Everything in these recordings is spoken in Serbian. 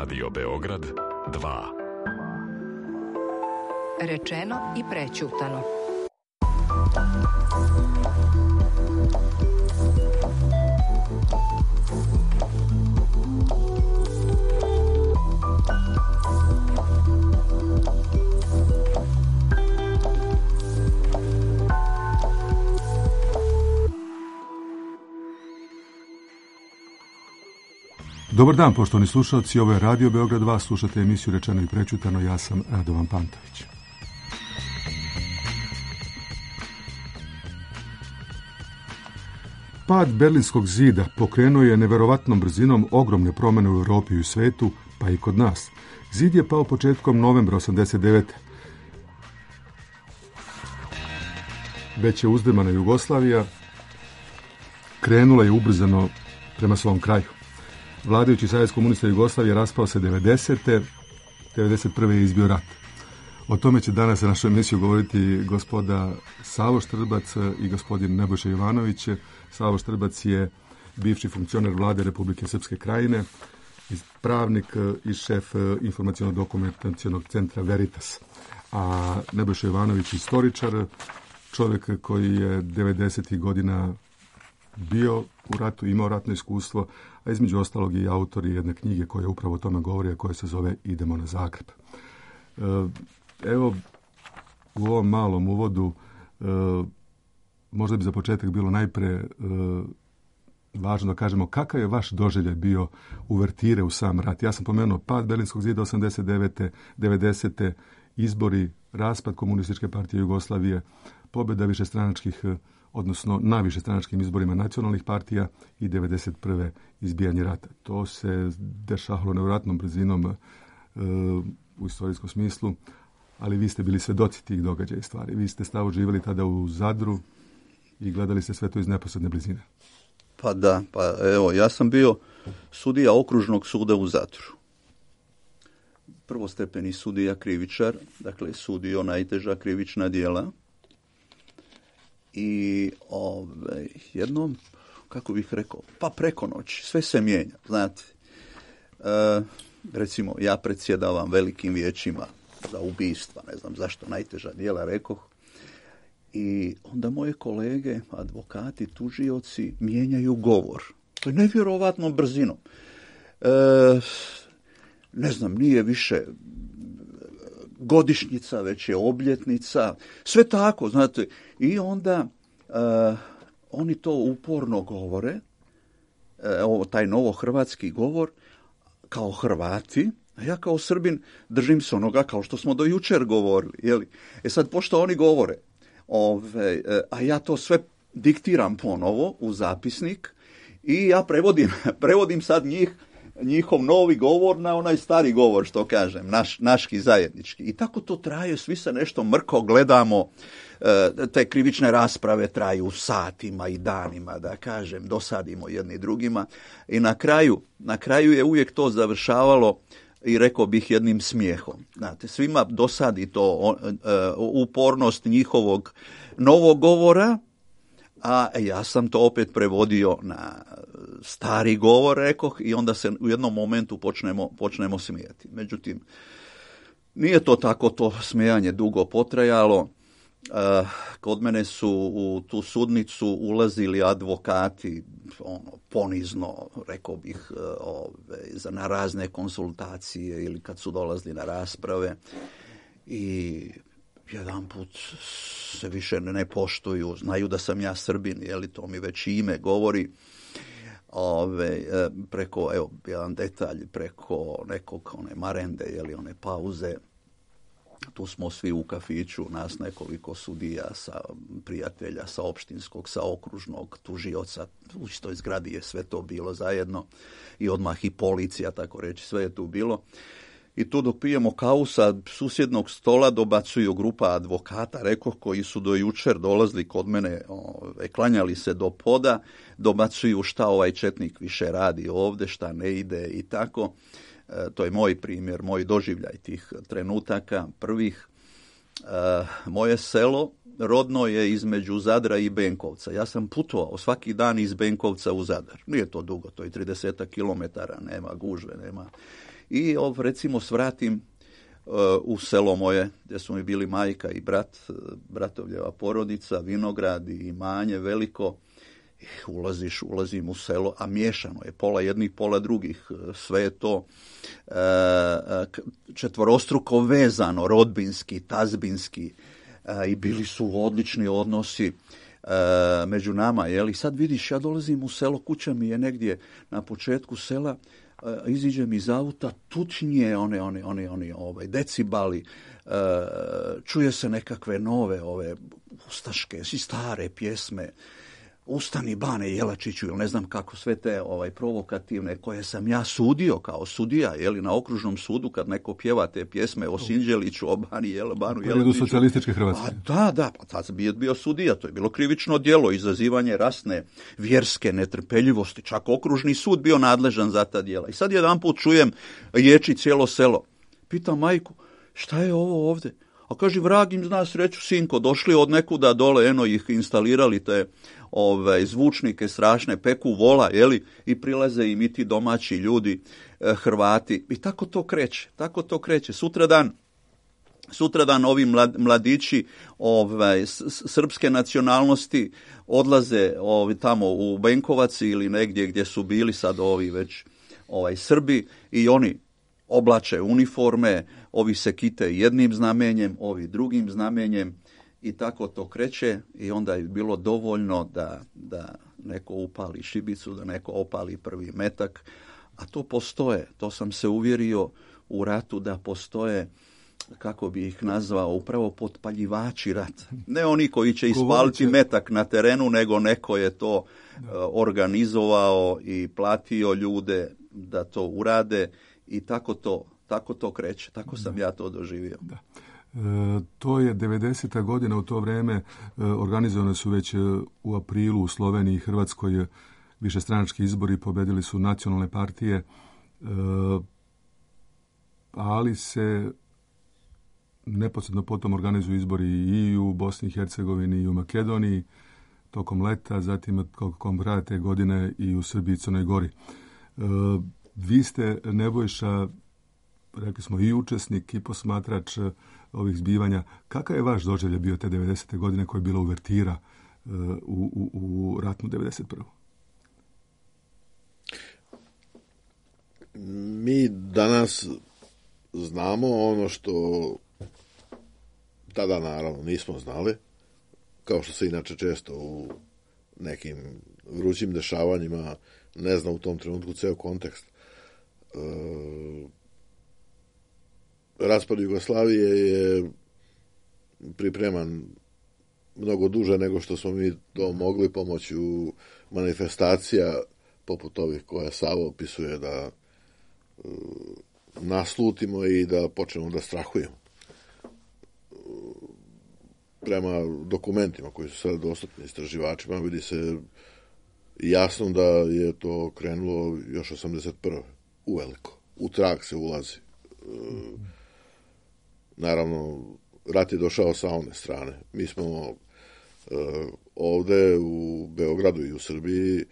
Radio Beograd 2. Rečeno i prećutano. Dobar dan, poštovani slušalci, ovo je Radio Beograd 2, slušate emisiju Rečeno i prećutano, ja sam Radovan Pantović. Pad Berlinskog zida pokrenuo je neverovatnom brzinom ogromne promjene u Europi i u svetu, pa i kod nas. Zid je pao početkom novembra 1989. Već je uzdrmana Jugoslavija, krenula je ubrzano prema svom kraju. Vladajući Savez komunista Jugoslavije raspao se 90. 91. je izbio rat. O tome će danas na našoj emisiji govoriti gospoda Savo Štrbac i gospodin Nebojša Jovanović. Savo Štrbac je bivši funkcioner vlade Republike Srpske Krajine, pravnik i šef informaciono-dokumentacionog centra Veritas. A Nebojša Jovanović istoričar, čovjek koji je 90. godina bio u ratu, imao ratno iskustvo, a između ostalog i autor jedne knjige koja upravo o tome govori, a koja se zove Idemo na Zagreb. Evo, u ovom malom uvodu možda bi za početak bilo najpre važno da kažemo kakav je vaš doživljaj bio uvertire u sam rat. Ja sam pomenuo pad Berlinskog zida 89. 90. izbori, raspad Komunističke partije Jugoslavije, pobjeda višestranačkih, odnosno na višestranačkim izborima nacionalnih partija i 91. izbijanje rata. To se dešavalo nevjerojatnom brzinom u istorijskom smislu, ali vi ste bili svedoci tih događaja i stvari. Vi ste stavo živjeli tada u Zadru i gledali ste sve to iz neposredne blizine. Pa da, evo, ja sam bio sudija okružnog suda u Zadru. Prvostepeni sudija krivičar, dakle sudio najteža krivična djela. I jednom, kako bih rekao, pa preko noći, sve se mijenja, znate. Recimo, ja predsjedavam velikim vijećima za ubistva, ne znam zašto, najteža djela, rekoh. I onda moje kolege, advokati, tužioci, mijenjaju govor. To je nevjerovatnom brzinom. Ne znam, nije više godišnjica, već je obljetnica, sve tako, znate. I onda oni to uporno govore, taj novohrvatski govor, kao Hrvati, a ja kao Srbin držim se onoga kao što smo do jučer govorili. Jeli? Sad, pošto oni govore, a ja to sve diktiram ponovo u zapisnik i ja prevodim sad njihov novi govor na onaj stari govor, što kažem, naški zajednički. I tako to traje, svi se nešto mrko gledamo, te krivične rasprave traju satima i danima, da kažem, dosadimo jedni drugima. I na kraju je uvijek to završavalo, i rekao bih, jednim smijehom. Znate, svima dosadi to upornost njihovog novog govora, a ja sam to opet prevodio na stari govor, rekoh, i onda se u jednom momentu počnemo smijeti. Međutim, nije to tako, to smijanje dugo potrajalo. Kod mene su u tu sudnicu ulazili advokati, ponizno, rekao bih, na razne konsultacije ili kad su dolazili na rasprave, i jedan put se više ne poštuju, znaju da sam ja Srbin, to mi već ime govori. Preko, evo, jedan detalj, preko nekog marende, one pauze, tu smo svi u kafiću, nas nekoliko sudija, prijatelja sa opštinskog, sa okružnog, tužioca, u istoj zgradi je sve to bilo zajedno i odmah i policija, tako reći, sve je tu bilo. I tu dok pijemo kavu sa susjednog stola dobacuju grupa advokata, rekoh, koji su do jučer dolazili kod mene, klanjali se do poda, dobacuju šta ovaj četnik više radi ovdje, šta ne ide i tako. To je moj primjer, moj doživljaj tih trenutaka prvih. Moje selo rodno je između Zadra i Benkovca. Ja sam putovao svaki dan iz Benkovca u Zadar. Nije to dugo, to je 30 kilometara, nema gužve, nema. i recimo svratim u selo moje, gdje su mi bili majka i brat, bratovljeva porodica, vinograd i imanje veliko. Ulazim u selo, a miješano je, pola jednih, pola drugih. Sve je to četvorostruko vezano, rodbinski, tazbinski, i bili su odlični odnosi među nama. I sad vidiš, ja dolazim u selo, kuća mi je negdje na početku sela, iziđem iz auta, tučnije one decibali, čuje se nekakve nove ustaške, stare pjesme, Ustani Bane Jelačiću, ili ne znam kako, sve te provokativne koje sam ja sudio kao sudija, na okružnom sudu kad neko pjeva te pjesme o Sinđeliću, o Banu Jelačiću. Socijalističke Hrvatske. Da, pa tad sam bio sudija, to je bilo krivično djelo, izazivanje rasne, vjerske netrpeljivosti, čak okružni sud bio nadležan za ta djela. I sad jedanput čujem ječi cijelo selo. Pitam majku, šta je ovo ovdje? A kaže, vrag im zna sreću, sinko, došli od nekuda dole, ih instalirali te zvučnike strašne, peku vola, i prilaze im i ti domaći ljudi, Hrvati. I tako to kreće. Sutradan ovi mladići srpske nacionalnosti odlaze tamo u Benkovac ili negdje gdje su bili sad ovi već Srbi, i oni oblače uniforme, ovi se kite jednim znamenjem, ovi drugim znamenjem, i tako to kreće. I onda je bilo dovoljno da neko upali šibicu, da neko opali prvi metak, a to postoje. To sam se uvjerio u ratu, da postoje, kako bi ih nazvao, upravo potpaljivači rata. Ne oni koji će ispaliti metak na terenu, nego neko je to organizovao i platio ljude da to urade, i tako to kreće. Tako sam ja to doživio. Da. To je 90. godina, u to vrijeme organizovane su već u aprilu u Sloveniji i Hrvatskoj višestranački izbori, pobedili su nacionalne partije, ali se neposredno potom organizuju izbori i u Bosni i Hercegovini i u Makedoniji tokom leta, zatim tokom kraja te godine i u Srbiji i Crnoj Gori. Vi ste, Nebojša, rekli smo, i učesnik i posmatrač ovih zbivanja. Kakav je vaš doživljaj bio te 90. godine koja je bila uvertira u ratnu 91. Mi danas znamo ono što tada naravno nismo znali, kao što se inače često u nekim vrućim dešavanjima ne zna u tom trenutku ceo kontekst. Raspad Jugoslavije je pripreman mnogo duže nego što smo mi to mogli pomoću manifestacija poput ovih koje Savo opisuje, da naslutimo i da počnemo da strahujemo. Prema dokumentima koji su sada dostupni istraživačima vidi se jasno da je to krenulo još 81. uveliko. U trag se ulazi. Naravno, rat je došao sa one strane. Mi smo ovde u Beogradu i u Srbiji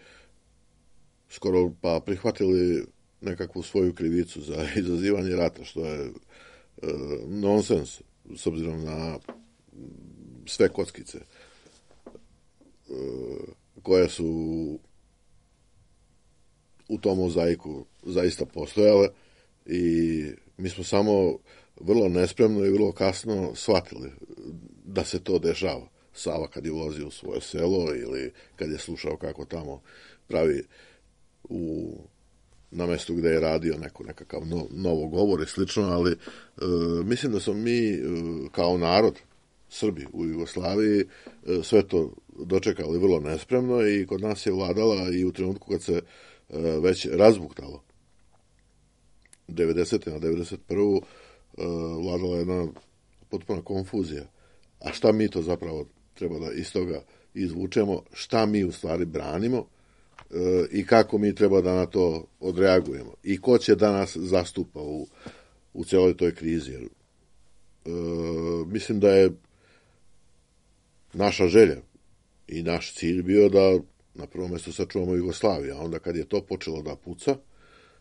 skoro pa prihvatili nekakvu svoju krivicu za izazivanje rata, što je nonsens, s obzirom na sve kockice koje su u tom mozaiku zaista postojale, i mi smo samo vrlo nespremno i vrlo kasno shvatili da se to dešava. Sava kad je ulazio u svoje selo ili kad je slušao kako tamo pravi na mjestu gdje je radio nekakav novo govor i slično, ali mislim da smo mi kao narod, Srbi u Jugoslaviji, sve to dočekali vrlo nespremno, i kod nas je vladala i u trenutku kad se već razbuktalo 90. na 91. Vladala jedna potpuna konfuzija. A šta mi to zapravo treba da iz toga izvučemo, šta mi u stvari branimo i kako mi treba da na to odreagujemo. I ko će da nas zastupa u cijeloj toj krizi. Mislim da je naša želja i naš cilj bio da na prvom mjestu sačuvamo Jugoslaviju, a onda kad je to počelo da puca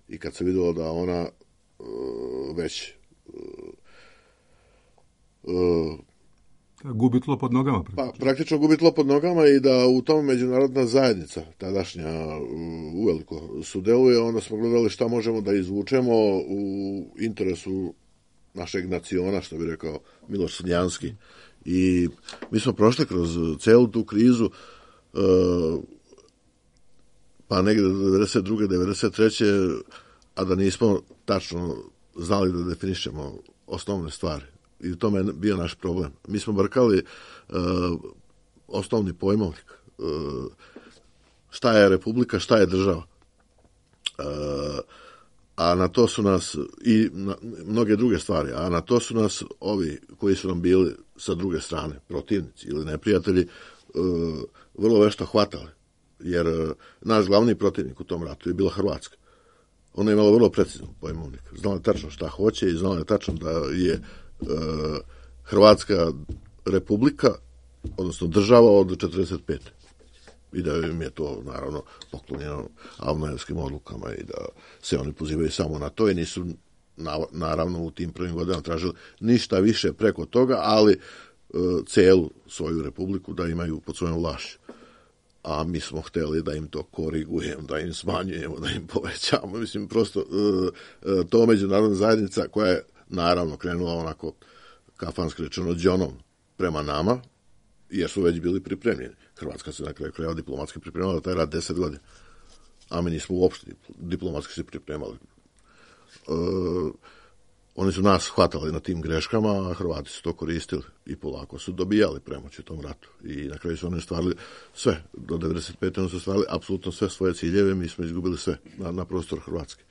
i kad se vidjelo da ona već gubi tlo pod nogama. Praktično gubi tlo pod nogama i da u tom međunarodna zajednica, tadašnja, uveliko sudeluje, onda smo gledali šta možemo da izvučemo u interesu našeg naciona, što bi rekao Miloš Crnjanski. I mi smo prošli kroz celu tu krizu, pa negde do 92. 93. a da nismo tačno znali da definišemo osnovne stvari. I u tome je bio naš problem. Mi smo brkali osnovni pojmovnik. Šta je republika, šta je država. A na to su nas i mnoge druge stvari, a na to su nas ovi koji su nam bili sa druge strane, protivnici ili neprijatelji, vrlo vešto hvatali. Jer naš glavni protivnik u tom ratu je bila Hrvatska. Ona je imala vrlo precizan pojmovnik. Znala je tačno šta hoće i znala je tačno da je Hrvatska republika, odnosno država od 45. I da im je to, naravno, poklonjeno Avnojevskim odlukama i da se oni pozivaju samo na to i nisu, naravno, u tim prvim godinama tražili ništa više preko toga, ali celu svoju republiku da imaju pod svojom vlašću. A mi smo hteli da im to korigujemo, da im smanjujemo, da im povećamo. Mislim, prosto to međunarodna zajednica koja je, naravno, krenula onako kafanski rečeno đonom prema nama, jer su već bili pripremljeni. Hrvatska se na kraju krajeva diplomatski pripremala taj rad 10 godina. A mi nismo uopšte diplomatski se pripremali. Oni su nas hvatali na tim greškama, a Hrvati su to koristili i polako su dobijali premoć u tom ratu. I na kraju su oni stvarili sve. Do 95. oni su stvarili apsolutno sve svoje ciljeve, mi smo izgubili sve na prostoru Hrvatske.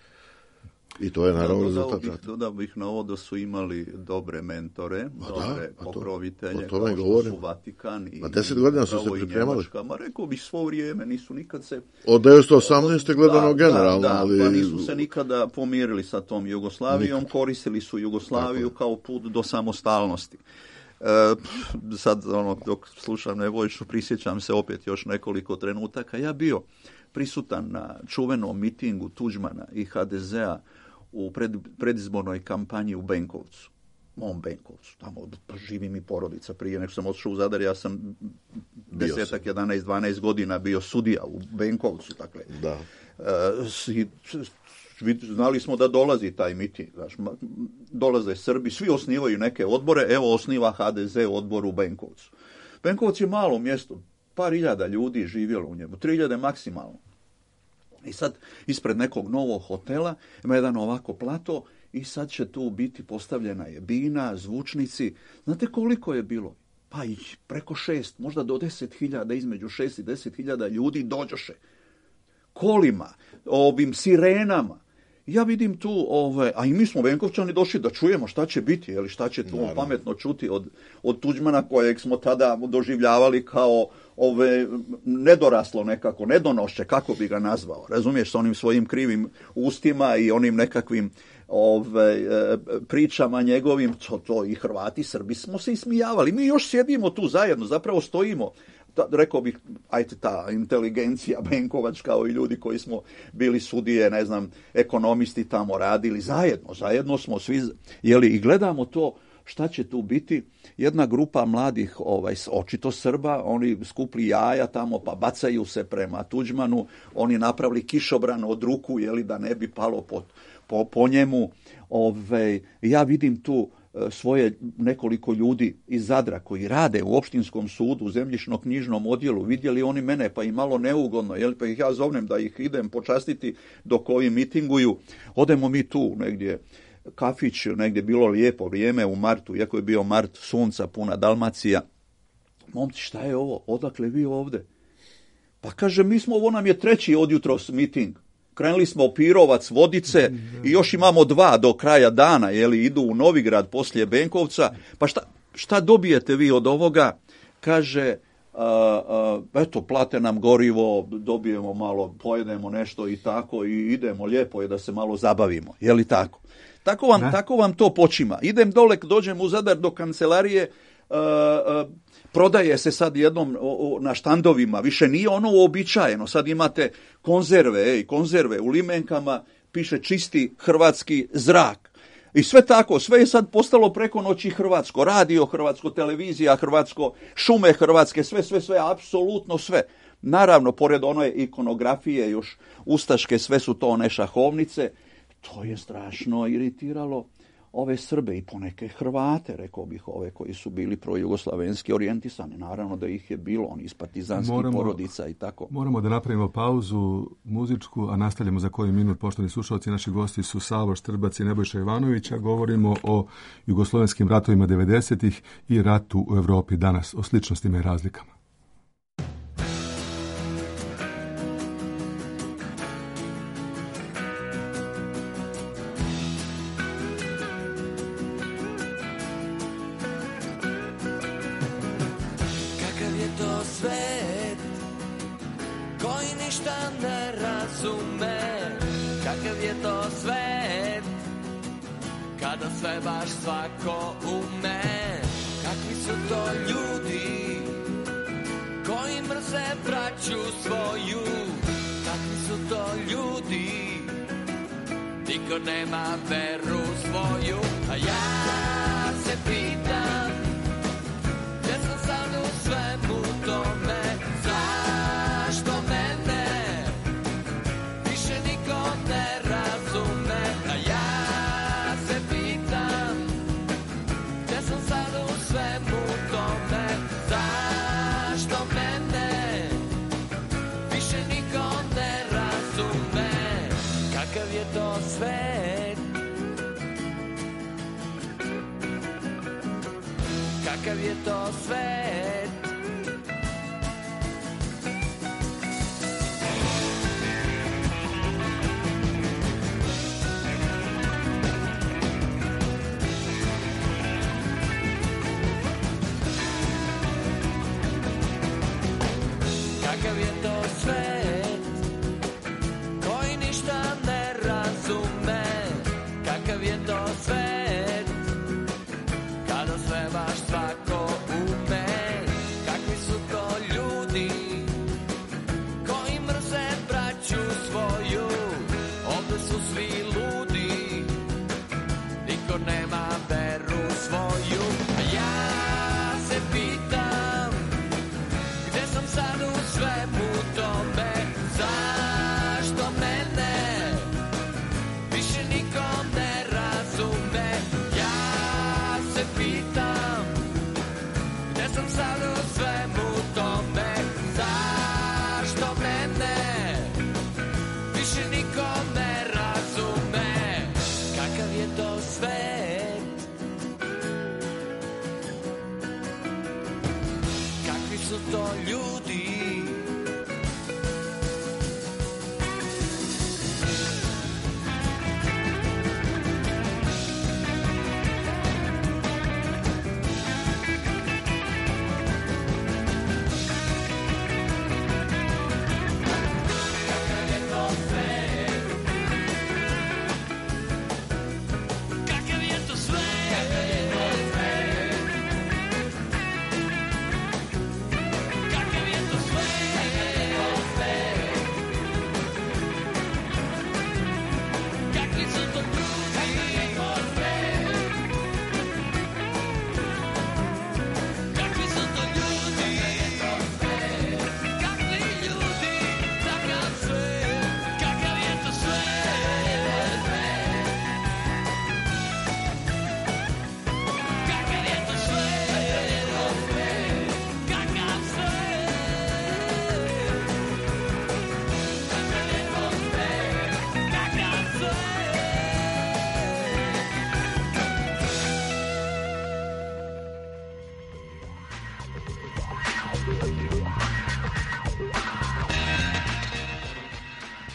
I to je naravno rezultat rata. Dodao bih na ovo da su imali dobre mentore, dobre pokrovitelje, kao što su Vatikan i 10 godina su se pripremali. Ma rekao bih svo vrijeme, nisu nikad se... Od 1918. gledano generalno, ali... Pa nisu se nikada pomirili sa tom Jugoslavijom, koristili su Jugoslaviju kao put do samostalnosti. Sad, dok slušam Nebojšu, prisjećam se opet još nekoliko trenutaka. Ja bio prisutan na čuvenom mitingu Tuđmana i HDZ-a u predizbornoj kampanji u Benkovcu, mom Benkovcu, tamo živi mi porodica. Prije nego sam otišao u Zadar, ja sam 11, 12 godina bio sudija u Benkovcu. Dakle, da. Znali smo da dolazi taj miting. Dolaze Srbi, svi osnivaju neke odbore, evo osniva HDZ odbor u Benkovcu. Benkovac je malo mjesto, par hiljada ljudi živjelo u njemu, 3000 maksimalno. I sad ispred nekog novog hotela ima jedan ovako plato i sad će tu biti postavljena je bina, zvučnici. Znate koliko je bilo? Pa i preko 6, možda do 10.000, između 6 i 10.000 ljudi dođoše. Kolima, ovim sirenama. Ja vidim tu, a i mi smo Benkovčani došli da čujemo šta će biti, ili šta će tu pametno čuti od Tuđmana kojeg smo tada doživljavali kao nedoraslo nekako, nedonošće, kako bi ga nazvao, razumiješ, s onim svojim krivim ustima i onim nekakvim pričama njegovim, to i Hrvati, Srbi smo se ismijavali. Mi još sjedimo tu zajedno, zapravo stojimo, rekao bih, ta inteligencija benkovačka, kao i ljudi koji smo bili sudije, ne znam, ekonomisti tamo radili, zajedno smo svi, i gledamo to šta će tu biti. Jedna grupa mladih, očito Srba, oni skupli jaja tamo, pa bacaju se prema Tuđmanu, oni napravili kišobran od ruku, da ne bi palo po njemu. Ja vidim tu svoje nekoliko ljudi iz Zadra koji rade u opštinskom sudu, u zemljišno-knjižnom odjelu, vidjeli oni mene, pa i malo neugodno, pa ih ja zovnem da ih idem počastiti dok ovi mitinguju. Odemo mi tu negdje, kafić, negdje bilo lijepo vrijeme u martu, iako je bio mart, sunca, puna Dalmacija. Momci, šta je ovo? Odakle vi ovde? Pa kaže, ovo nam je 3. od jutros miting. Krenuli smo Pirovac, Vodice i još imamo 2 do kraja dana, idu u Novigrad poslije Benkovca. Pa šta dobijete vi od ovoga? Kaže, eto, plate nam gorivo, dobijemo malo, pojedemo nešto i tako i idemo, lijepo je da se malo zabavimo, tako? Tako vam to počima. Idem dole, dođem u Zadar do kancelarije, prodaje se sad jednom na štandovima, više nije ono uobičajeno, sad imate konzerve u limenkama, piše čisti hrvatski zrak. I sve tako, sve je sad postalo preko noći hrvatsko. Radio hrvatsko, televizija hrvatsko, šume hrvatske, sve, apsolutno sve. Naravno, pored one ikonografije još ustaške, sve su to one šahovnice. To je strašno iritiralo ove Srbe i poneke Hrvate, rekao bih, ove koji su bili projugoslavenski orijentisani. Naravno da ih je bilo, oni iz partizanskih porodica i tako. Moramo da napravimo pauzu muzičku, a nastavljamo za koji minut. Poštovani slušalci, naši gosti su Savo Štrbac i Nebojša Ivanović, a govorimo o jugoslovenskim ratovima 90-ih i ratu u Evropi danas, o sličnostima i razlikama. Kada sve baš svako ume, kakvi su to ljudi koji mrze braću svoju, kakvi su to ljudi, niko nema veru svoju. A ja se pitam, gdje sam sad u svemu tome, zašto mene više niko ne razume. A ja svemu tome, zašto mene više niko ne razume. Kakav je to svet, kakav je to svet. Kakav je to svet koji ništa ne razume, kakav je to svet kada sve baš svako ume, kakvi su to ljudi koji mrze braću svoju, ovdje su svi ludi, niko nema veru svoju. A ja se pitam, gdje sam sad u svemu tome, zašto mene više niko ne razume. Ja se pitam, gdje sam sad u svemu tome, zašto mene više niko ne razume. Kakav je to svet, kakvi su to ljudi.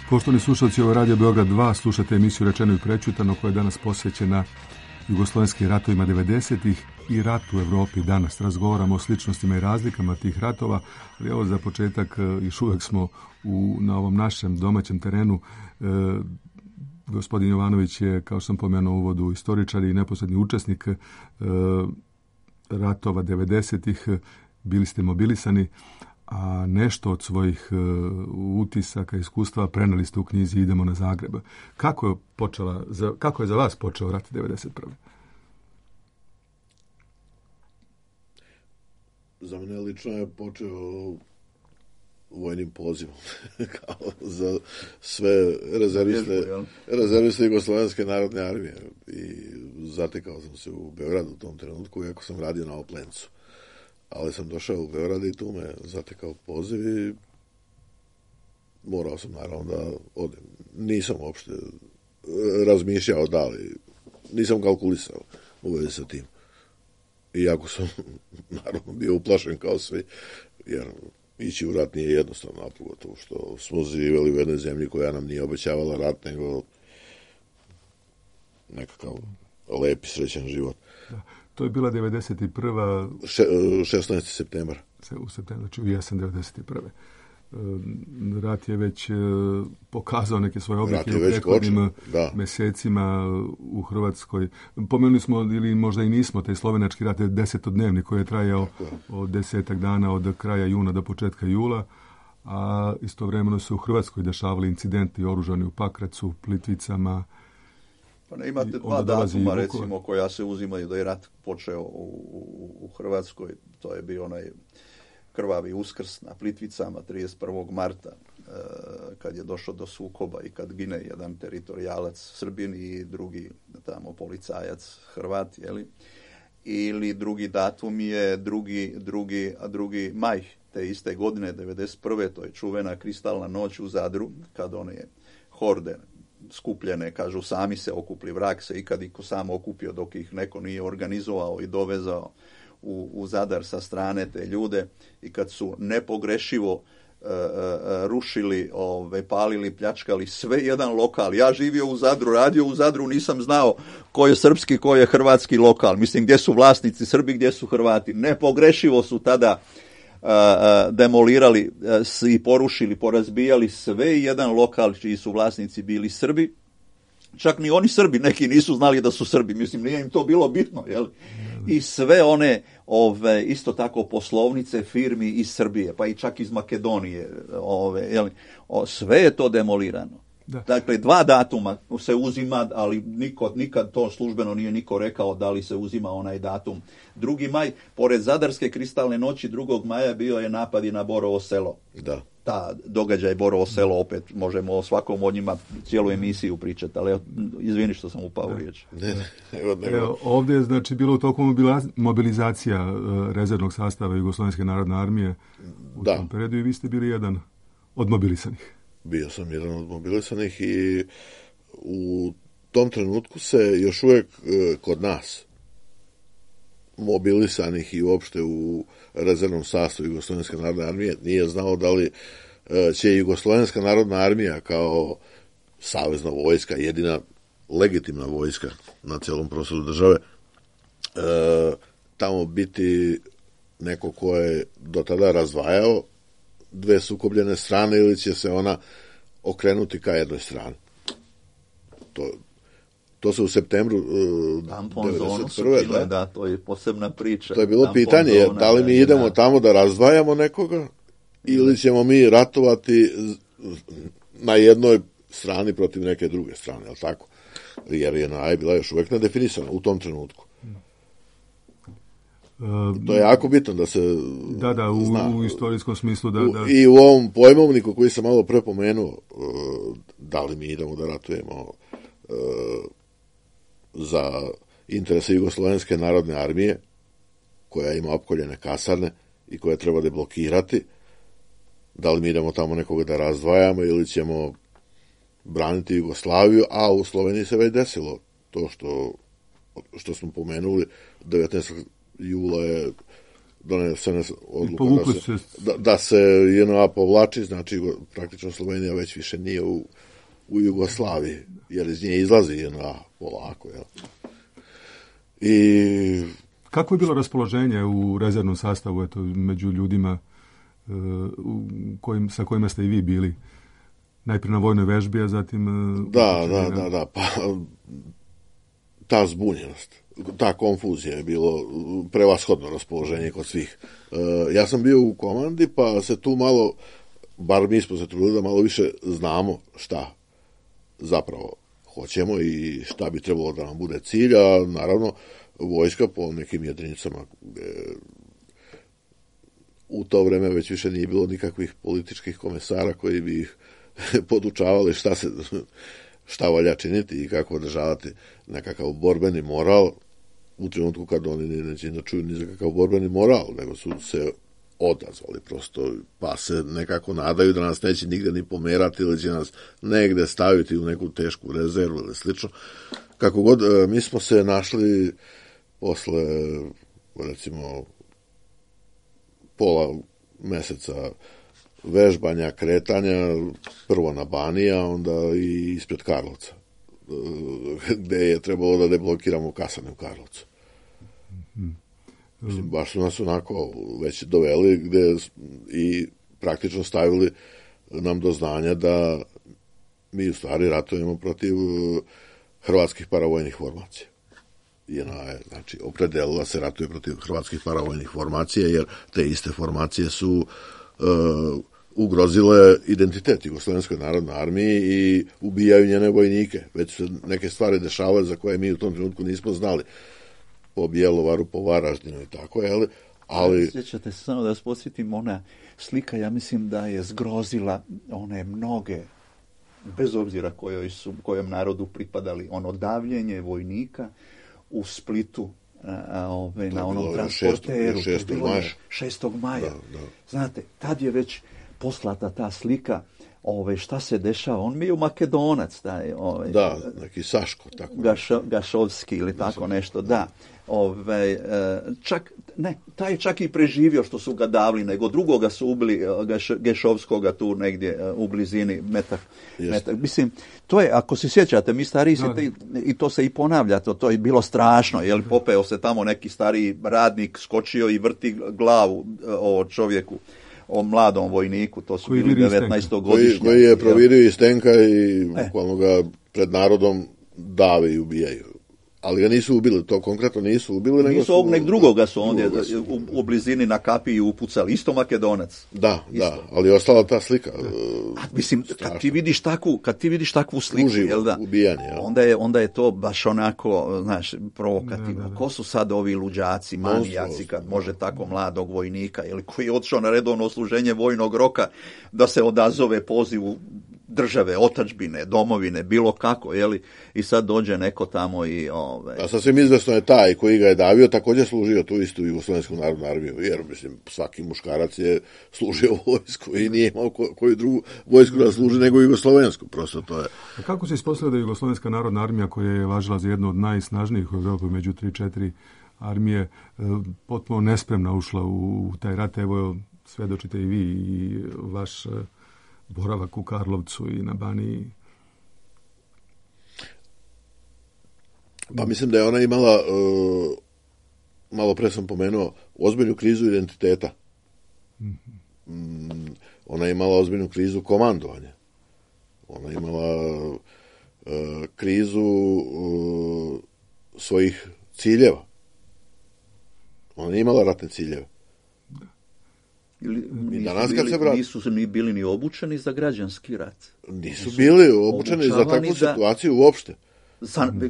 Poštovani slušalci, ovo je Radio Beograd 2, slušate emisiju Rečeno i prečutano koja je danas posvećena jugoslovenskim ratovima 90-ih i ratu u Evropi danas. Razgovaramo o sličnostima i razlikama tih ratova, ali evo za početak još uvijek smo na ovom našem domaćem terenu. Gospodin Jovanović je, kao što sam pomenuo u uvodu, istoričar i neposredni učesnik ratova 90-ih. Bili ste mobilisani, a nešto od svojih utisaka, iskustva preneli ste u knjizi Idemo na Zagreb. Kako je za vas počeo rat 1991. Za mene lično je počeo vojnim pozivom kao za sve rezerviste Jugoslovenske narodne armije i zatekao sam se u Beogradu u tom trenutku, iako sam radio na Oplencu. Ali sam došao u Beograd i tu me zatekao poziv i morao sam naravno da odem. Nisam uopšte razmišljao da li, nisam kalkulisao u vezi sa tim. Iako sam naravno bio uplašen kao svi, jer ići u rat nije jednostavno, a pogotovo što smo živjeli u jednoj zemlji koja nam nije obećavala rat, nego nekakav lep i srećan život. Da. To je bila 91. 16. septembar. U septembru, znači u jesen 91. Rat je već pokazao neke svoje oblike u prethodnim mesecima u Hrvatskoj. Pomenuli smo, ili možda i nismo, taj slovenački rat je 10-dnevni koji je trajao od 10 dana od kraja juna do početka jula, a istovremeno se u Hrvatskoj dešavali incidenti oružani u Pakracu, Plitvicama. Pa ne, imate dva datuma, recimo, koja se uzimaju da je rat počeo u Hrvatskoj. To je bio onaj krvavi Uskrs na Plitvicama 31. marta, kad je došlo do sukoba i kad gine jedan teritorijalac Srbin i drugi tamo policajac Hrvat, jeli? Ili drugi datum je 2. maj te iste godine, 91. To je čuvena kristalna noć u Zadru, kad one horde skupljene, kažu sami se okupli, vrag se ikad iko sam okupio dok ih neko nije organizovao i dovezao u Zadar sa strane te ljude, i kad su nepogrešivo rušili, palili, pljačkali sve jedan lokal. Ja živio u Zadru, radio u Zadru, nisam znao ko je srpski, ko je hrvatski lokal. Mislim, gdje su vlasnici Srbi, gdje su Hrvati. Nepogrešivo su tada demolirali i porušili, porazbijali sve jedan lokal čiji su vlasnici bili Srbi. Čak ni oni Srbi, neki nisu znali da su Srbi, mislim, nije im to bilo bitno, jel? I sve one, isto tako, poslovnice firmi iz Srbije, pa i čak iz Makedonije, jel? Sve je to demolirano. Da. Dakle, 2 datuma se uzima, ali nikad to službeno nije niko rekao da li se uzima onaj datum. 2. maj, pored Zadarske kristalne noći, 2. maja bio je napad i na Borovo Selo. Da. Ta događaj Borovo Selo, opet možemo o svakom od njima cijelu emisiju pričati, ali izvini što sam upao u riječ. Ovdje je znači bilo u toku mobilizacija rezervnog sastava Jugoslovenske narodne armije u tom periodu, i vi ste bili jedan od mobilisanih. Bio sam jedan od mobilisanih i u tom trenutku se još uvijek kod nas mobilisanih i uopšte u rezervnom sastavu Jugoslovenske narodne armije nije znao da li će Jugoslovenska narodna armija kao savezna vojska, jedina legitimna vojska na cijelom prostoru države, tamo biti neko ko je do tada razdvajao dve sukobljene strane, ili će se ona okrenuti ka jednoj strani. To se u septembru 1991. Da, to je posebna priča. To je bilo pitanje, da li mi idemo tamo da razdvajamo nekoga, ili ćemo mi ratovati na jednoj strani protiv neke druge strane, ali tako? Jer je bila još uvijek nedefinisana u tom trenutku. To je jako bitno da se zna. U istorijskom smislu I u ovom pojmovniku koji sam malo prepomenuo, da li mi idemo da ratujemo za interese Jugoslovenske narodne armije, koja ima opkoljene kasarne i koja treba deblokirati, da li mi idemo tamo nekoga da razdvajamo ili ćemo braniti Jugoslaviju, a u Sloveniji se već desilo to što smo pomenuli. 19. jula je donesena odluka da se JNA povlači, znači praktično Slovenija već više nije u Jugoslaviji, jer iz nje izlazi JNA polako. Jel? I kako je bilo raspoloženje u rezervnom sastavu, među ljudima sa kojima ste i vi bili? Najprije na vojnoj vežbi, a zatim... Da. Pa ta zbunjenost, ta konfuzija je bilo prevashodno raspoloženje kod svih. Ja sam bio u komandi, pa se tu malo, bar mi smo se trudili da malo više znamo šta zapravo hoćemo i šta bi trebalo da nam bude cilj, a naravno vojska po nekim jedinicama u to vreme već više nije bilo nikakvih političkih komesara koji bi ih podučavali šta valja činiti i kako održavati nekakav borbeni moral u trenutku kad oni neće da čuju ni za kakav borbeni moral, nego su se odazvali prosto, pa se nekako nadaju da nas neće nigde ni pomerati ili će nas negde staviti u neku tešku rezervu ili slično. Kako god, mi smo se našli posle, recimo, pola meseca vežbanja, kretanja, prvo na Baniji, a onda i ispred Karlovca, gde je trebalo da deblokiramo kasane u Karlovcu. Mislim, baš su nas onako već doveli gde i praktično stavili nam do znanja da mi u stvari ratujemo protiv hrvatskih paravojnih formacija. JNA je, znači, opredelila se ratuje protiv hrvatskih paravojnih formacija, jer te iste formacije su ugrozile identitet Jugoslovenskoj narodnoj armiji i ubijaju njene vojnike. Već se neke stvari dešavale za koje mi u tom trenutku nismo znali. Po Bjelovaru, po Varaždinu i tako, ali... Sjećate se, samo da vas podsjetim, ona slika, ja mislim da je zgrozila one mnoge, bez obzira kojem narodu pripadali, ono davljenje vojnika u Splitu, na onom transporteru. 6. maja. Da. Znate, tad je već poslata ta slika, šta se dešava. On mi je Makedonac, taj, da, neki Saško, tako. Gašovski ili tako nešto, da. Taj je čak i preživio što su ga davili, nego drugoga su ubili, Gešovskoga tu negdje u blizini metak. Mislim, to je, ako se sjećate, mi stariji i to se i ponavlja, to je bilo strašno, jer popeo se tamo neki stariji radnik, skočio i vrti glavu o čovjeku, o mladom vojniku, to su bili 19-godišnji. Koji je provirio iz tenka i bukvalno ga pred narodom dave i ubijaju. Ali ga nisu ubili, to konkretno nisu ubili. Nisu ovog drugoga su ondje u blizini na kapiji upucali, isto Makedonac. Da, ali je ostala ta slika. Mislim, kad ti vidiš takvu sliku, ubijanje, onda je to baš onako, znaš, provokativno. Da. Ko su sad ovi luđaci, manijaci, kad može tako mladog vojnika, koji je otišao na redovno služenje vojnog roka, da se odazove pozivu države, otadžbine, domovine, bilo kako, i sad dođe neko tamo i... A sasvim izvesno je taj koji ga je davio također služio tu istu Jugoslovensku narodnu armiju, jer, mislim, svaki muškarac je služio vojsku i nije imao koju drugu vojsku da služi nego Jugoslovensku, prosto to je... A kako se ispostavlja da je Jugoslovenska narodna armija, koja je važila za jednu od najsnažnijih u Evropi među 3-4 armije, potpuno nespremna ušla u taj rat? Evo, svedočite i vi i vaš boravak u Karlovcu i na Baniji. Pa mislim da je ona imala, malo pre sam pomenuo, ozbiljnu krizu identiteta. Ona je imala ozbiljnu krizu komandovanja. Ona je imala krizu svojih ciljeva. Ona nije imala ratne ciljeve. Nisu ni bili ni obučeni za građanski rat. Nisu bili obučeni za takvu situaciju uopšte.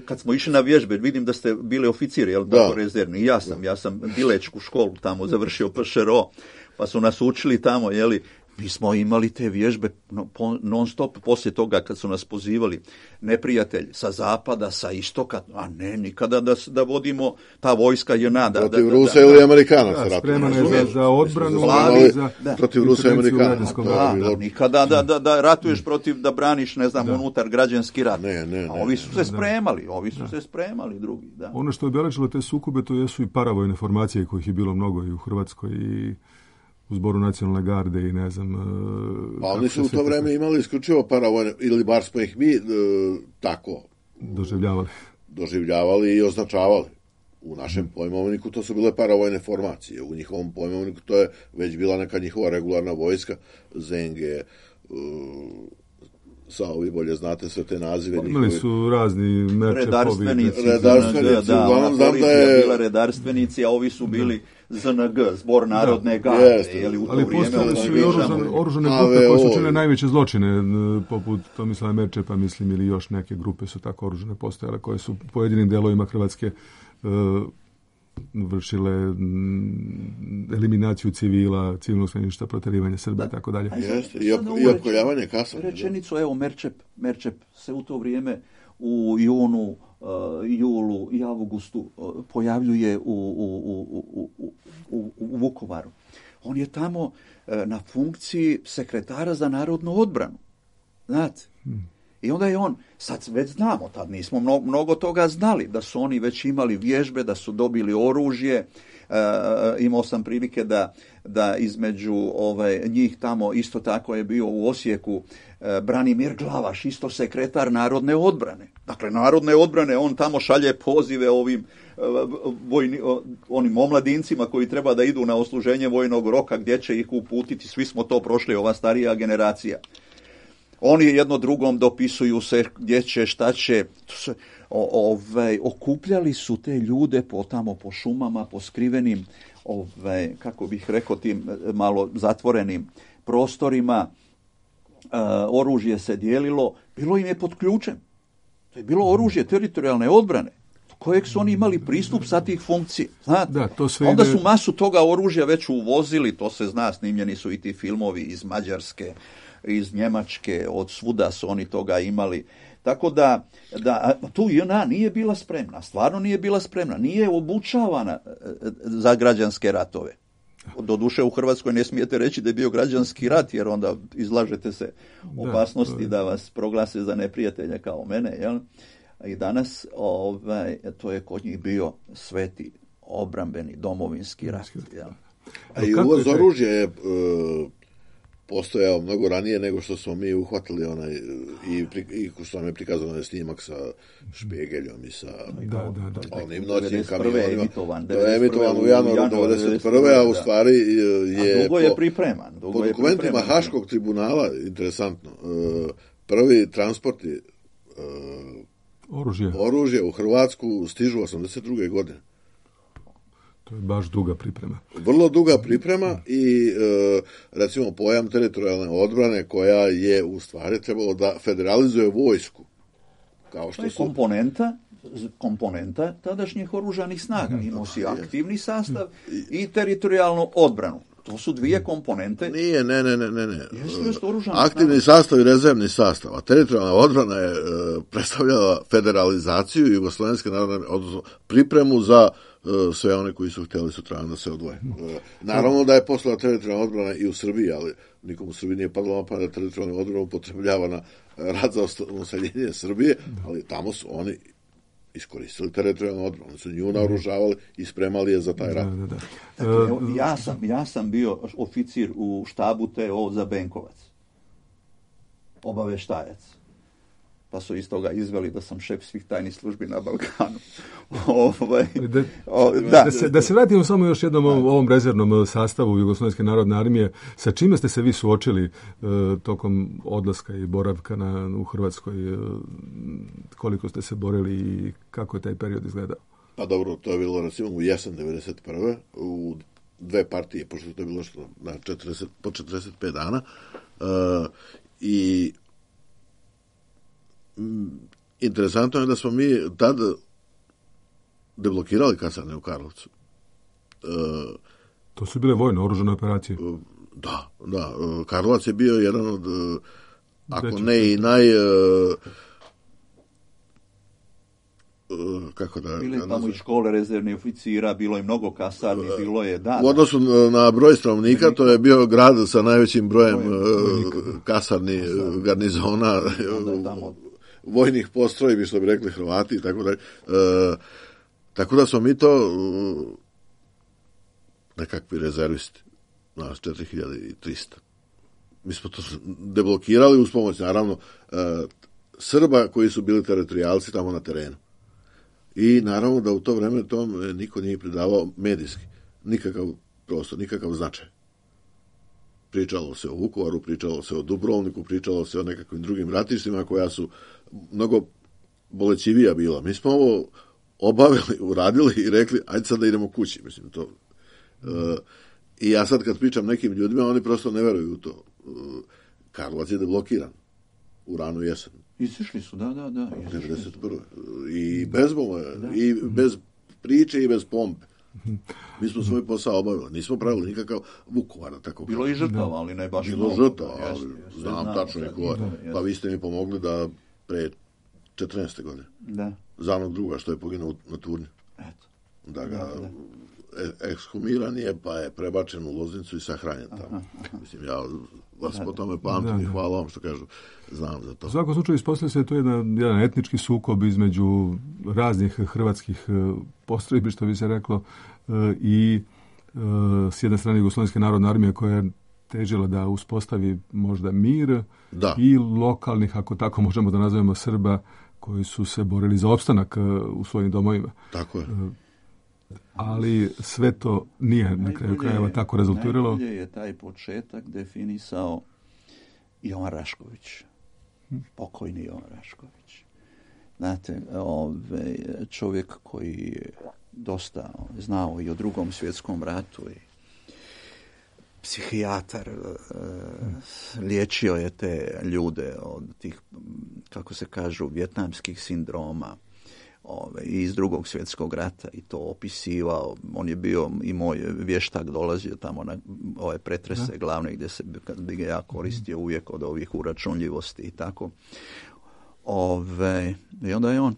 Kad smo išli na vježbe, vidim da ste bili oficiri, tako rezervni. Ja sam dilečku školu tamo završio PŠRO, pa su nas učili tamo, mi smo imali te vježbe non stop poslije toga kad su nas pozivali neprijatelj sa zapada, sa istoka, a ne, nikada da vodimo ta vojska JNA. Protiv Rusa ili Amerikanaca. Spreman je za odbranu. Protiv Rusa i Amerikanaca. Nikada da ratuješ protiv, da braniš, ne znam, unutar građanski rat. A ovi su se spremali, drugi. Da. Ono što je obeležilo te sukobe, to jesu i paravojne formacije, kojih je bilo mnogo i u Hrvatskoj i u Zboru nacionalne garde i ne znam... Pa oni su u to vreme imali isključivo paravojne, ili bar smo ih mi tako doživljavali i označavali. U našem pojmovniku to su bile paravojne formacije. U njihovom pojmovniku to je već bila neka njihova regularna vojska, ZNG, vi bolje znate sve te nazive. Imali su razni redarstvenici, uglavnom znam da je bila redarstvenici, a ovi su bili ZNG, Zbor narodne garde. Ali postojali su i oružane grupe koje su činile najveće zločine, poput Tomislava Merčepa, mislim, ili još neke grupe su tako oružane postojale, koje su u pojedinim delovima Hrvatske vršile eliminaciju civila, civilnog stanovništva, proterivanje Srba i tako dalje. I opkoljavanje kasa. Rečenicu, evo, Merčep se u to vrijeme u junu, julu i avgustu pojavljuje u Vukovaru. On je tamo na funkciji sekretara za narodnu odbranu. Znate? I onda je on, sad već znamo, tad nismo mnogo toga znali, da su oni već imali vježbe, da su dobili oružje. Imao sam prilike da između njih tamo isto tako je bio u Osijeku Branimir Glavaš, isto sekretar narodne odbrane. Dakle, narodne odbrane, on tamo šalje pozive onim omladincima koji treba da idu na odsluženje vojnog roka, gdje će ih uputiti, svi smo to prošli, ova starija generacija. Oni jedno drugom dopisuju se gdje će, šta će. Okupljali su te ljude po šumama, po skrivenim, kako bih rekao, tim malo zatvorenim prostorima. Oružje se dijelilo, bilo im je pod ključem. To je bilo oružje teritorijalne odbrane, kojeg su oni imali pristup sa tih funkcija. Znate? Onda su masu toga oružja već uvozili, to se zna, snimljeni su i ti filmovi iz Mađarske, iz Njemačke, od svuda su oni toga imali. Tako da tu JNA nije bila spremna, stvarno nije bila spremna, nije obučavana za građanske ratove. Doduše u Hrvatskoj ne smijete reći da je bio građanski rat, jer onda izlažete se opasnosti da vas proglase za neprijatelja kao mene. Jel? I danas to je kod njih bio sveti obrambeni domovinski rat. Jel? A i uvoz oružja je postojao mnogo ranije nego što smo mi uhvatili i što nam je prikazano onaj snimak sa Špegeljom i sa onim noćnim kamionima. To je emitovan u januaru 1991. a u stvari je dugo je pripreman. Po dokumentima Haškog tribunala, interesantno, prvi transporti oružja u Hrvatsku stižu 1982. godine. To je baš duga priprema. Vrlo duga priprema i recimo pojam teritorijalne odbrane koja je u stvari trebalo da federalizuje vojsku. Kao što to je komponenta tadašnjih oružanih snaga. Imao si aktivni sastav i teritorijalnu odbranu. To su dvije komponente. Nije, ne. Aktivni sastav i rezervni sastav. A teritorijalna odbrana je predstavljala federalizaciju Jugoslovenske narodne, odnosno pripremu za sve one koji su htjeli sutradan da se odvoje. Naravno da je postojala teritorijalna odbrana i u Srbiji, ali nikom u Srbiji nije padalo na pamet da teritorijalna odbrana upotrebljava na rat za useljenje Srbije, ali tamo su oni iskoristili teritorijalnu odbranu. Oni su nju naoružavali i spremali je za taj rat. Dakle, ja sam bio oficir u štabu TO za Benkovac. Obaveštajac. Pa su iz toga izveli da sam šef svih tajnih službi na Balkanu. Da se vratimo samo još jednom ovom rezervnom sastavu Jugoslovenske narodne armije. Sa čime ste se vi suočili tokom odlaska i boravka u Hrvatskoj? Koliko ste se borili i kako je taj period izgledao? Pa dobro, to je bilo recimo u jesen 1991. u dve partije, pošto to je bilo po 45 dana. I interesantno je da smo mi tad deblokirali kasarne u Karlovcu. To su bile vojne oružane operacije. Da. Karlovac je bio jedan od, ako ne i bile tamo i škole rezervnih oficira, bilo je mnogo kasarni, bilo je u odnosu na broj stanovnika, to je bio grad sa najvećim brojem kasarni, garnizona, vojnih postrojbi, što bi rekli Hrvati i tako dalje. Tako da smo mi to nekakvi rezervisti, nas 4300. Mi smo to deblokirali uz pomoć, naravno, Srba koji su bili teritorijalci tamo na terenu. I naravno da u to vreme tom niko nije pridavao medijski nikakav prostor, nikakav značaj. pričalo se o Vukovaru, pričalo se o Dubrovniku, pričalo se o nekakvim drugim ratištima koja su mnogo bolećivija bila. Mi smo ovo obavili, uradili i rekli, ajde sad da idemo kući. Mislim, to. I ja sad kad pričam nekim ljudima, oni prosto ne veruju u to. Karlovac je deblokiran u ranu jesen. Izišli su, da. 91. I bezbolno je, i bez priče i bez pompe. Mi smo svoj posao obavili, nismo pravili nikakav Vukovar, tako bilo i žrtava, ali ne baš bilo žrtava, ali znam tačno ko. Pa vi ste mi pomogli da pre 14. godine. Da. Za onog druga što je poginuo na Turnju. Eto. Da ga ekshumiran je, pa je prebačen u Loznicu i sahranjen tamo. Mislim, ja vas po tome pamtim i hvala vam što kažu, znam za to. U svakom slučaju ispostavlja se to jedan etnički sukob između raznih hrvatskih postrojbi, što bi se reklo, i s jedne strane Jugoslovenske narodne armije koja je težila da uspostavi možda mir i lokalnih, ako tako možemo da nazovemo, Srba koji su se borili za opstanak u svojim domovima. Tako je. Ali sve to nije na kraju krajeva tako rezultiralo. Najbolje je taj početak definisao Jovan Rašković. Pokojni Jovan Rašković. Znate, čovjek koji je dosta znao i o Drugom svjetskom ratu i psihijatar, liječio je te ljude od tih, kako se kažu, vjetnamskih sindroma i iz Drugog svjetskog rata i to opisivao. On je bio i moj vještak, dolazio tamo na ove pretrese glavne gdje ga ja koristio uvijek od ovih uračunljivosti i tako. I onda je on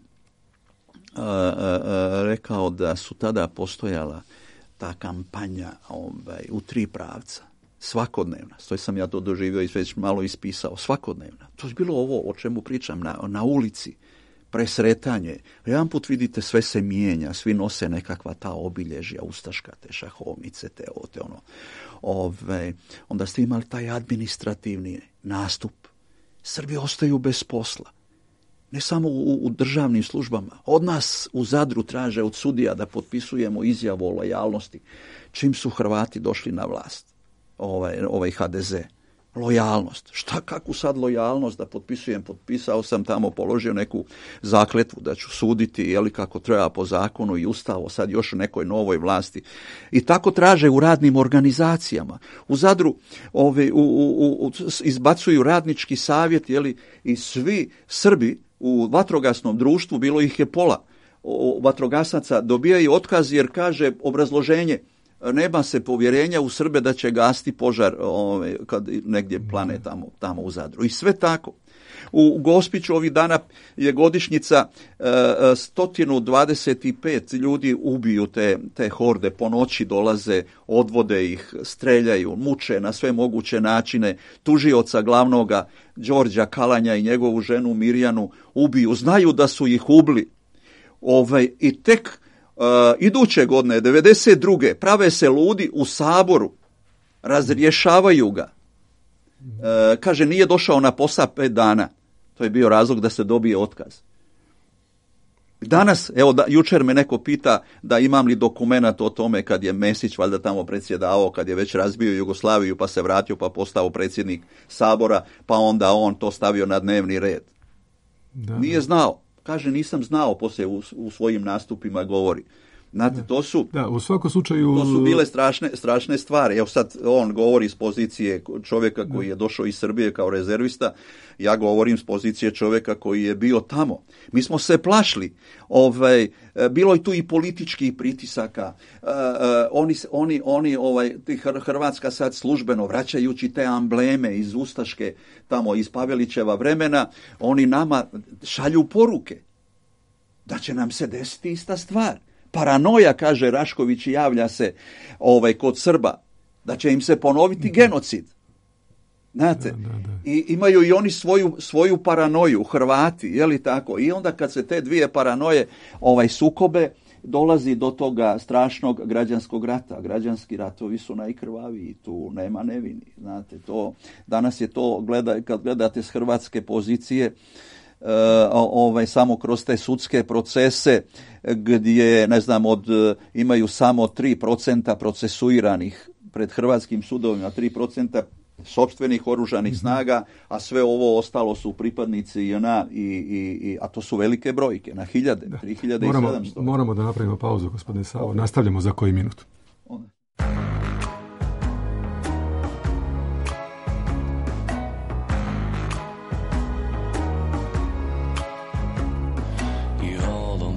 rekao da su tada postojala ta kampanja u 3 pravca. Svakodnevna. Stoji sam ja to doživio i već malo ispisao. Svakodnevna. To je bilo ovo o čemu pričam na ulici. Presretanje. Jedan put vidite sve se mijenja, svi nose nekakva ta obilježja, ustaška, te šahovnice, te ono. Onda ste imali taj administrativni nastup. Srbi ostaju bez posla. Ne samo u državnim službama. Od nas u Zadru traže od sudija da potpisujemo izjavu o lojalnosti. Čim su Hrvati došli na vlast, ovaj HDZ. Lojalnost. Kakvu sad lojalnost da potpisujem? Potpisao sam tamo, položio neku zakletvu da ću suditi kako treba po zakonu i ustavu, sad još u nekoj novoj vlasti. I tako traže u radnim organizacijama. U Zadru izbacuju radnički savjet, i svi Srbi u vatrogasnom društvu, bilo ih je pola vatrogasaca, dobijaju otkaz jer kaže obrazloženje: nema se povjerenja u Srbe da će gasiti požar kad negdje plane tamo u Zadru. I sve tako. U Gospiću ovih dana je godišnjica 125 ljudi ubiju te horde, po noći dolaze, odvode ih, streljaju, muče na sve moguće načine, tužioca glavnoga Đorđa Kalanja i njegovu ženu Mirjanu ubiju, znaju da su ih ubili. I tek iduće godine, 92. prave se ludi u Saboru, razrješavaju ga. Kaže, nije došao na posao 5 dana. To je bio razlog da se dobije otkaz. Danas, jučer me neko pita da imam li dokumenat o tome kad je Mesić valjda tamo predsjedavao, kad je već razbio Jugoslaviju pa se vratio pa postao predsjednik Sabora, pa onda on to stavio na dnevni red. Nije znao. Kaže, nisam znao, poslije u svojim nastupima govori. Znate, u svakom slučaju to su bile strašne stvari. Evo sad on govori iz pozicije čovjeka koji je došao iz Srbije kao rezervista, ja govorim s pozicije čovjeka koji je bio tamo. Mi smo se plašili. Bilo je tu i političkih pritisaka. Hrvatska sad službeno, vraćajući te ambleme iz ustaške, tamo iz Pavelićeva vremena, oni nama šalju poruke da će nam se desiti ista stvar. Paranoja, kaže Rašković, javlja se kod Srba, da će im se ponoviti genocid. Znate, i imaju i oni svoju paranoju, Hrvati, je li tako? I onda kad se te dvije paranoje sukobe, dolazi do toga strašnog građanskog rata. Građanski ratovi su najkrvaviji, tu nema nevini. Znate, danas je to, kad gledate s hrvatske pozicije, samo kroz te sudske procese gdje, imaju samo 3% procesuiranih pred hrvatskim sudovima, 3% sopstvenih oružanih snaga, a sve ovo ostalo su pripadnici JNA, a to su velike brojke, na hiljade, 3700. Moramo da napravimo pauzu, gospodine Savo. Nastavljamo za koji minut.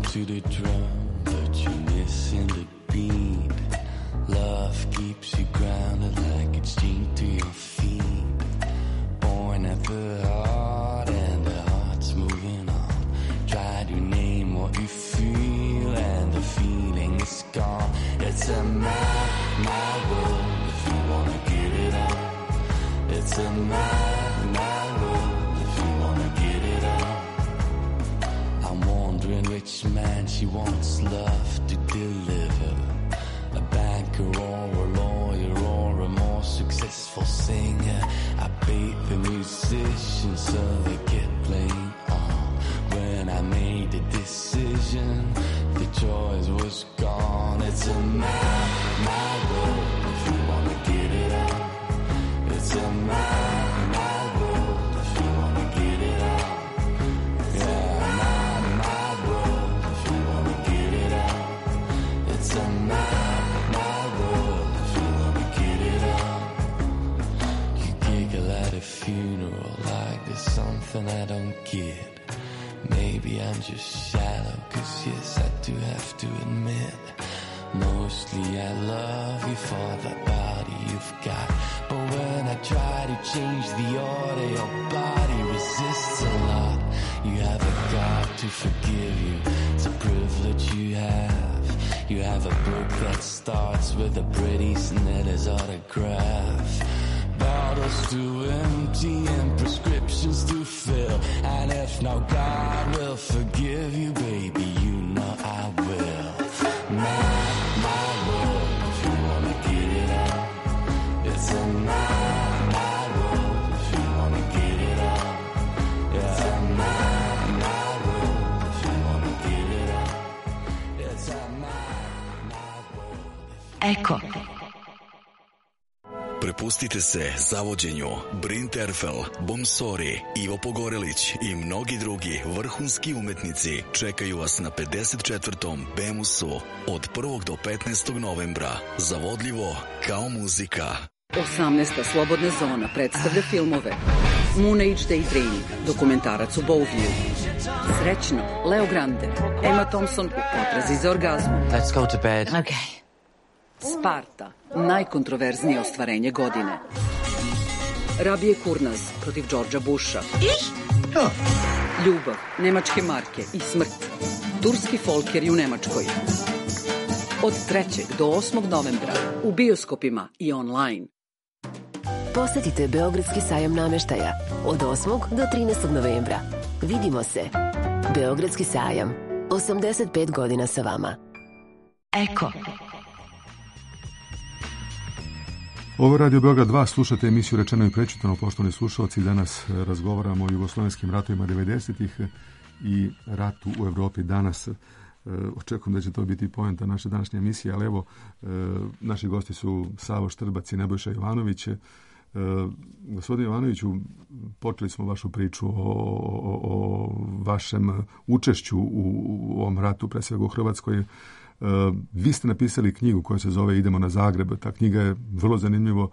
To the drum, but you're missing the beat. Love keeps you grounded like it's chained to your feet. Born at the heart and the heart's moving on. Try to name what you feel and the feeling is gone. It's a mad world if you wanna get it on. It's a mad world if you wanna get it on. I'm wondering which man she wants love to deliver. A banker or a lawyer or a more successful singer. I bait the musicians so they get playing on. When I made the decision, the choice was gone. It's a mad world if you wanna get it on. It's a mad world if you wanna get it on. Yeah, mad world if you wanna get it on. It's a mad world if you wanna get it on. You giggle at a funeral like there's something I don't get. Maybe I'm just shallow, 'cause yes, I do have to admit, mostly I love you for the body you've got. But when I try to change the order, your body resists a lot. You have a God to forgive you, it's a privilege you have. You have a book that starts with a pretty Snider's autograph. Bottles to empty and prescriptions to fill. And if no God will forgive you, baby, you know I will. My world, if you wanna get it on. It's a my world, if you wanna get it on. It's a my world, if you wanna get it on. It's a my world. Eko. Prepustite se zavođenju Bryn Terfel, Bomsori, Ivo Pogorelić i mnogi drugi vrhunski umetnici čekaju vas na 54. Bemusu od 1. do 15. novembra. Zavodljivo kao muzika. 18. Slobodna zona predstavlja filmove Moon Age Daydream, dokumentarac u Bowview, Srećno, Leo Grande, Emma Thompson u potrazi za orgazmom. Let's go to bed. Okay. Sparta, najkontroverznije ostvarenje godine. Rabije Kurnaz protiv Đorđa Busha. Ljubav, nemačke marke i smrt. Turski folker u Nemačkoj. Od 3. do 8. novembra u bioskopima i online. Posetite Beogradski sajam nameštaja od 8. do 13. novembra. Vidimo se. Beogradski sajam. 85 godina sa vama. Eko. Ovo je Radio Beograd 2, slušate emisiju Rečeno i prečitano, poštovani slušalci. Danas razgovaramo o jugoslovenskim ratovima 90-ih i ratu u Evropi danas. Očekujem da će to biti poenta naše današnje emisije, ali evo, naši gosti su Savo Štrbac i Nebojša Jovanović. Gospodine Jovanoviću, počeli smo vašu priču o vašem učešću u ovom ratu, pre svega u Hrvatskoj. Vi ste napisali knjigu koja se zove Idemo na Zagreb. Ta knjiga je vrlo zanimljivo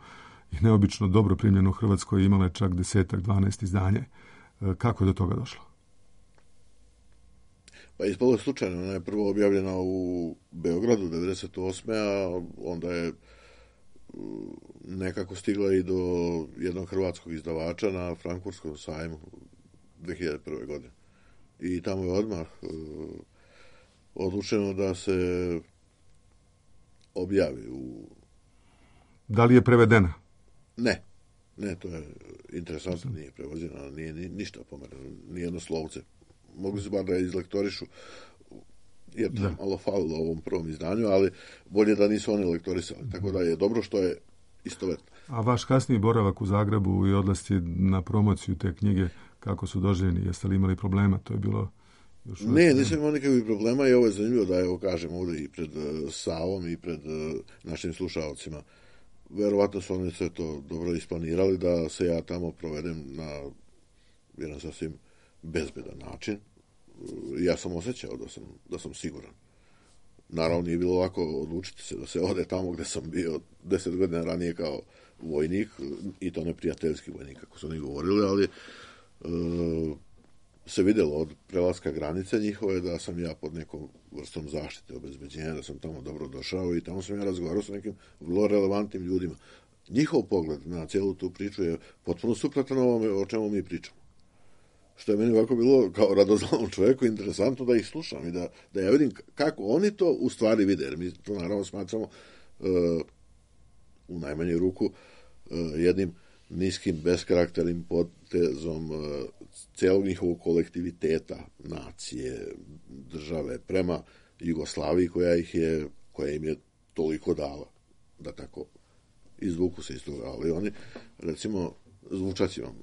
i neobično dobro primljena u Hrvatskoj. Imala je čak 10-12 izdanje. Kako je do toga došlo? Pa ispalo je slučajno. Ona je prvo objavljena u Beogradu 98. a onda je nekako stigla i do jednog hrvatskog izdavača na Frankfurtskom sajmu 2001. godine. I tamo je odmah odlučeno da se objavi u... Da li je prevedena? Ne, to je interesantno, nije prevođena, nije ništa pomereno, nijedno slovce. Mogu se bar da je izlektorišu, jer to je malo falilo u ovom prvom izdanju, ali bolje da nisu oni lektorisali, tako da je dobro što je istovetno. A vaš kasniji boravak u Zagrebu i odlasci na promociju te knjige, kako su doživljeni? Jeste li imali problema? To je bilo... Ne, nisam imao nikakvih problema i ovo je zanimljivo da evo kažem ovdje i pred Savom i pred našim slušalcima. verovatno su oni sve to dobro isplanirali da se ja tamo provedem na jedan sasvim bezbedan način. Ja sam osjećao da sam siguran. Naravno, nije bilo lako odlučiti se da se ode tamo gde sam bio 10 godina ranije kao vojnik, i to neprijateljski vojnik, kako su oni govorili, ali se vidjelo od prelaska granice njihove da sam ja pod nekom vrstom zaštite, obezbeđenja, da sam tamo dobro došao i tamo sam ja razgovarao sa nekim vrlo relevantnim ljudima. Njihov pogled na cijelu tu priču je potpuno suprotan ovome o čemu mi pričamo. Što je meni ovako bilo kao radoznalom čovjeku interesantno da ih slušam i da ja vidim kako oni to u stvari vide. Jer mi to naravno smatramo u najmanju ruku jednim niskim, beskarakternim potezom cijelog njihovog kolektiviteta, nacije, države, prema Jugoslaviji koja im je toliko dala, da tako izvuku se iz toga. Ali oni, recimo, zvučat će vam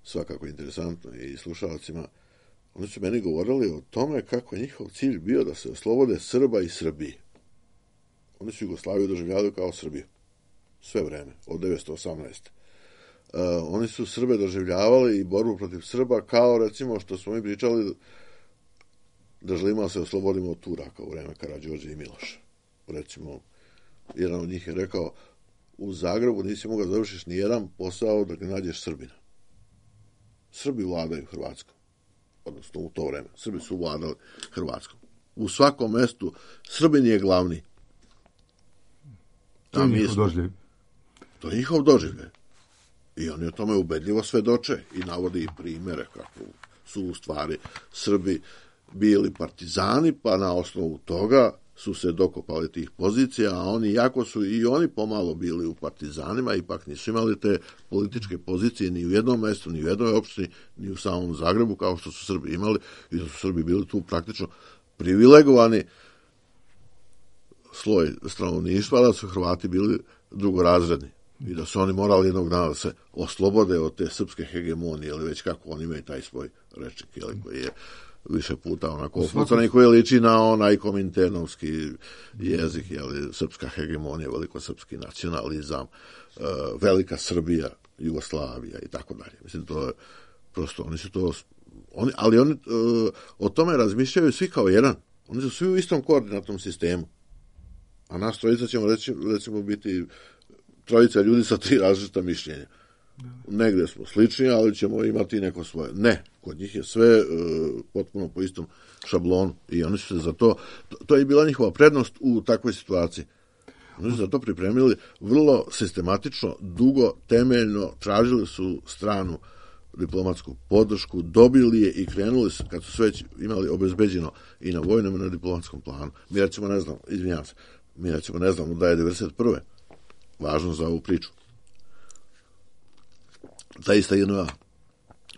svakako interesantno i slušalcima, oni su meni govorili o tome kako je njihov cilj bio da se oslobode Srba i Srbije. Oni su Jugoslaviju doživljavali kao Srbiju. Sve vreme, od 1918. Oni su Srbe doživljavali i borbu protiv Srba kao, recimo, što smo mi pričali, da želimo da se oslobodimo od Turaka u vreme Karađorđa i Miloša. Recimo, jedan od njih je rekao, u Zagrebu nisi mogao da završiš ni jedan posao dok ne nađeš Srbina. Srbi vladaju Hrvatskom. Odnosno, u to vreme. Srbi su vladali Hrvatskom. U svakom mestu Srbin je glavni. To je njihov doživljaj. To je njihov doživljaj. I oni o tome ubedljivo svedoče i navode i primere kako su u stvari Srbi bili partizani, pa na osnovu toga su se dokopali tih pozicija, a oni, jako su i oni pomalo bili u partizanima, ipak nisu imali te političke pozicije ni u jednom mjestu, ni u jednoj opštini, ni u samom Zagrebu, kao što su Srbi imali, i da su Srbi bili tu praktično privilegovani sloj stanovništva, da su Hrvati bili drugorazredni i da su oni morali jednog dana da se oslobode od te srpske hegemonije, ili već kako oni imaju taj svoj rečnik, koji je više puta onako opucan i koji liči na onaj kominternovski jezik, srpska hegemonija, velikosrpski nacionalizam, velika Srbija, Jugoslavija i tako dalje. Mislim, to je prosto, oni su to, ali oni o tome razmišljaju svi kao jedan. Oni su svi u istom koordinatnom sistemu. A nas trojica ćemo recimo biti trojica ljudi sa 3 različita mišljenja. Negde smo slični, ali ćemo imati neko svoje. Ne, kod njih je sve potpuno po istom šablonu i oni su se za to, to je bila njihova prednost u takvoj situaciji. Oni su za to pripremili vrlo sistematično, dugo, temeljno, tražili su stranu diplomatsku podršku, dobili je i krenuli su, kad su sve imali obezbeđeno i na vojnom i na diplomatskom planu. Mi recimo ne znamo da je 1991. važno za ovu priču. Ta ista JNA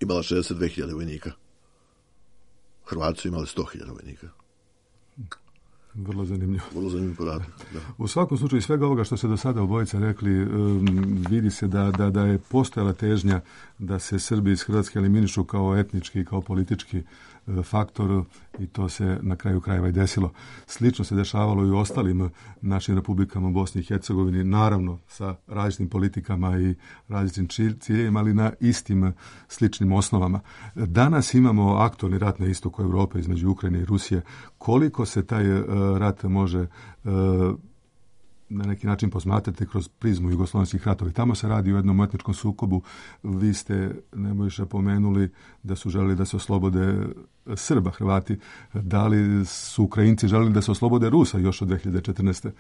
imala 62.000 vojnika. Hrvati su imali 100.000 vojnika. Vrlo zanimljivo. Vrlo zanimljiv podatak, da. U svakom slučaju svega ovoga što se do sada obojica rekli, vidi se da je postojala težnja da se Srbi iz Hrvatske eliminišu kao etnički i kao politički faktor i to se na kraju krajeva i desilo. Slično se dešavalo i u ostalim našim republikama u Bosni i Hercegovini, naravno sa različitim politikama i različitim ciljevima, ali na istim sličnim osnovama. Danas imamo aktualni rat na istoku Europe između Ukrajine i Rusije. Koliko se taj rat može na neki način posmatrati kroz prizmu jugoslovenskih ratova. Tamo se radi o jednom etničkom sukobu. Vi ste, Nebojša, pomenuli da su želeli da se oslobode Srba, Hrvati. Da li su Ukrajinci želeli da se oslobode Rusa još od 2014.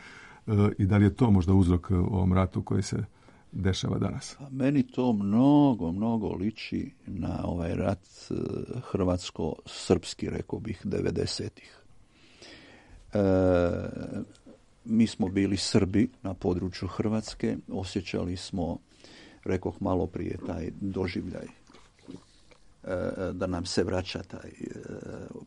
I da li je to možda uzrok ovom ratu koji se dešava danas? Meni to mnogo liči na ovaj rat hrvatsko-srpski, rekao bih, 90-ih. Mi smo bili Srbi na području Hrvatske, osjećali smo, rekoh malo prije, taj doživljaj da nam se vraća taj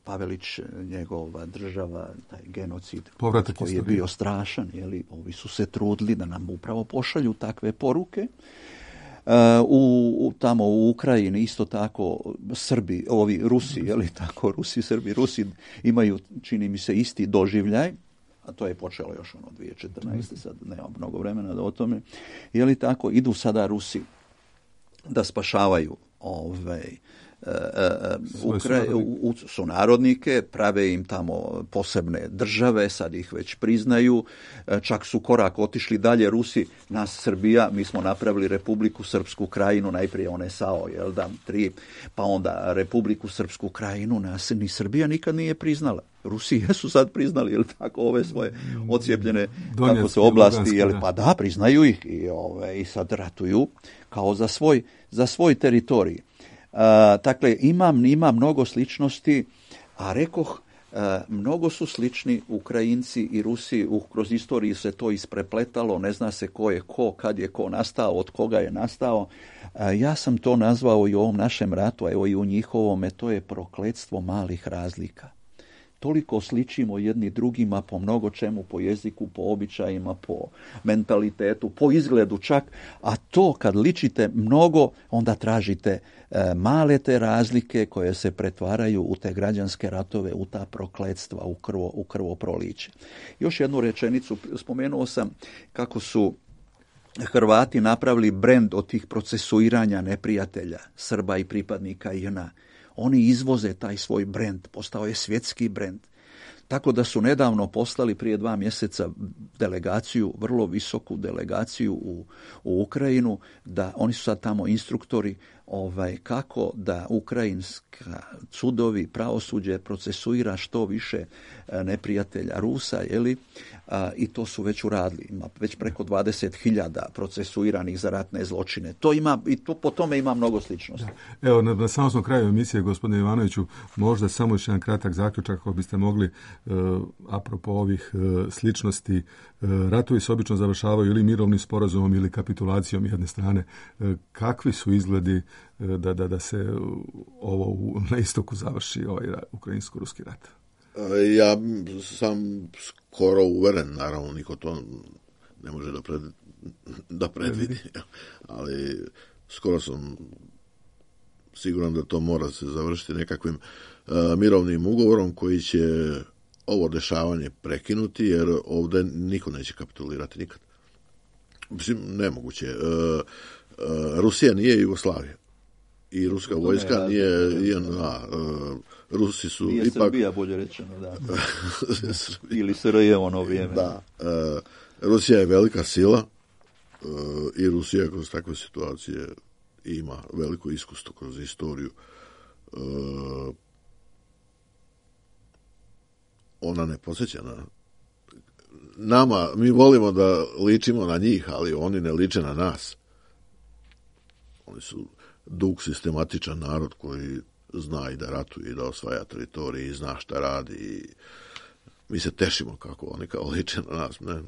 Pavelić, njegova država, taj genocid povratak koji je bio strašan. Ovi su se trudili da nam upravo pošalju takve poruke. Tamo u Ukrajini isto tako Srbi, ovi Rusi, Rusi, Srbi, Rusi imaju, čini mi se, isti doživljaj. a to je počelo još 2014. sad nema mnogo vremena da o tome, je li tako, idu sada Rusi da spašavaju sunarodnike, prave im tamo posebne države, sad ih već priznaju, čak su korak otišli dalje Rusi, nas Srbija, mi smo napravili Republiku Srpsku Krajinu, najprije one SAO, jel da, 3, pa onda Republiku Srpsku Krajinu, nas ni Srbija nikad nije priznala. Rusi jesu sad priznali, jel tako, ove svoje ocijepljene kako se oblasti, jel, pa da, priznaju ih i sad ratuju kao za svoj teritorij. Dakle, ima mnogo sličnosti, a rekoh, mnogo su slični Ukrajinci i Rusi, kroz istoriju se to isprepletalo, ne zna se ko je ko, kad je ko nastao, od koga je nastao. Ja sam to nazvao i u ovom našem ratu, a evo i u njihovome, to je prokletstvo malih razlika. Toliko sličimo jedni drugima po mnogo čemu, po jeziku, po običajima, po mentalitetu, po izgledu čak, a to kad ličite mnogo, onda tražite male te razlike koje se pretvaraju u te građanske ratove, u ta prokletstva, u krvoproliće. Još jednu rečenicu, spomenuo sam kako su Hrvati napravili brend od tih procesuiranja neprijatelja, Srba i pripadnika JNA. Oni izvoze taj svoj brend, postao je svjetski brend. Tako da su nedavno poslali prije 2 mjeseca delegaciju, vrlo visoku delegaciju u Ukrajinu, da oni su sad tamo instruktori kako da ukrajinska sudovi, pravosuđe procesuira što više neprijatelja Rusa, i to su već uradili. Ima već preko 20.000 procesuiranih za ratne zločine. To ima, i to po tome ima mnogo sličnosti. Da. Evo, na samom smo kraju emisije, gospodine Ivanoviću, možda samo još jedan kratak zaključak, ako biste mogli, apropo ovih sličnosti, ratovi se obično završavaju ili mirovnim sporazumom ili kapitulacijom jedne strane. Kakvi su izgledi da se ovo na istoku završi, ovaj ukrajinsko-ruski rat? Ja sam skoro uveren, naravno niko to ne može da predvidi, ali skoro sam siguran da to mora se završiti nekakvim mirovnim ugovorom koji će ovo dešavanje prekinuti, jer ovdje niko neće kapitulirati nikad. Mislim, nemoguće. Rusija nije Jugoslavija. I ruska vojska nije Rusi su nije ipak... Srbija, bolje rečeno, da. Ili Sarajevo ono vrijeme. Da. Rusija je velika sila i Rusija kroz takve situacije ima veliko iskustvo kroz istoriju. Ona ne podsjeća na nama. Mi volimo da ličimo na njih, ali oni ne liče na nas. Oni su dug, sistematičan narod koji zna i da ratuje i da osvaja teritorije i zna šta radi i mi se tešimo kako oni kao liče na nas. Ne,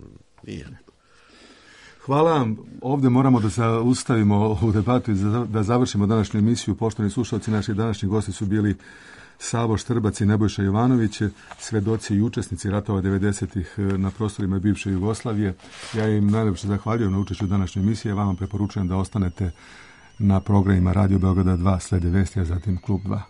nije. Hvala vam. Ovdje moramo da se ustavimo u debatu i da završimo današnju emisiju. Poštovani slušalci, naši današnji gosti su bili Savo Štrbac i Nebojša Jovanović, svedoci i učesnici ratova 90-ih na prostorima bivše Jugoslavije. Ja im najljepše zahvaljujem na učešću u današnjoj emisiji. Ja vam preporučujem da ostanete na programima Radio Beograda 2, slede vesti, a zatim Klub 2.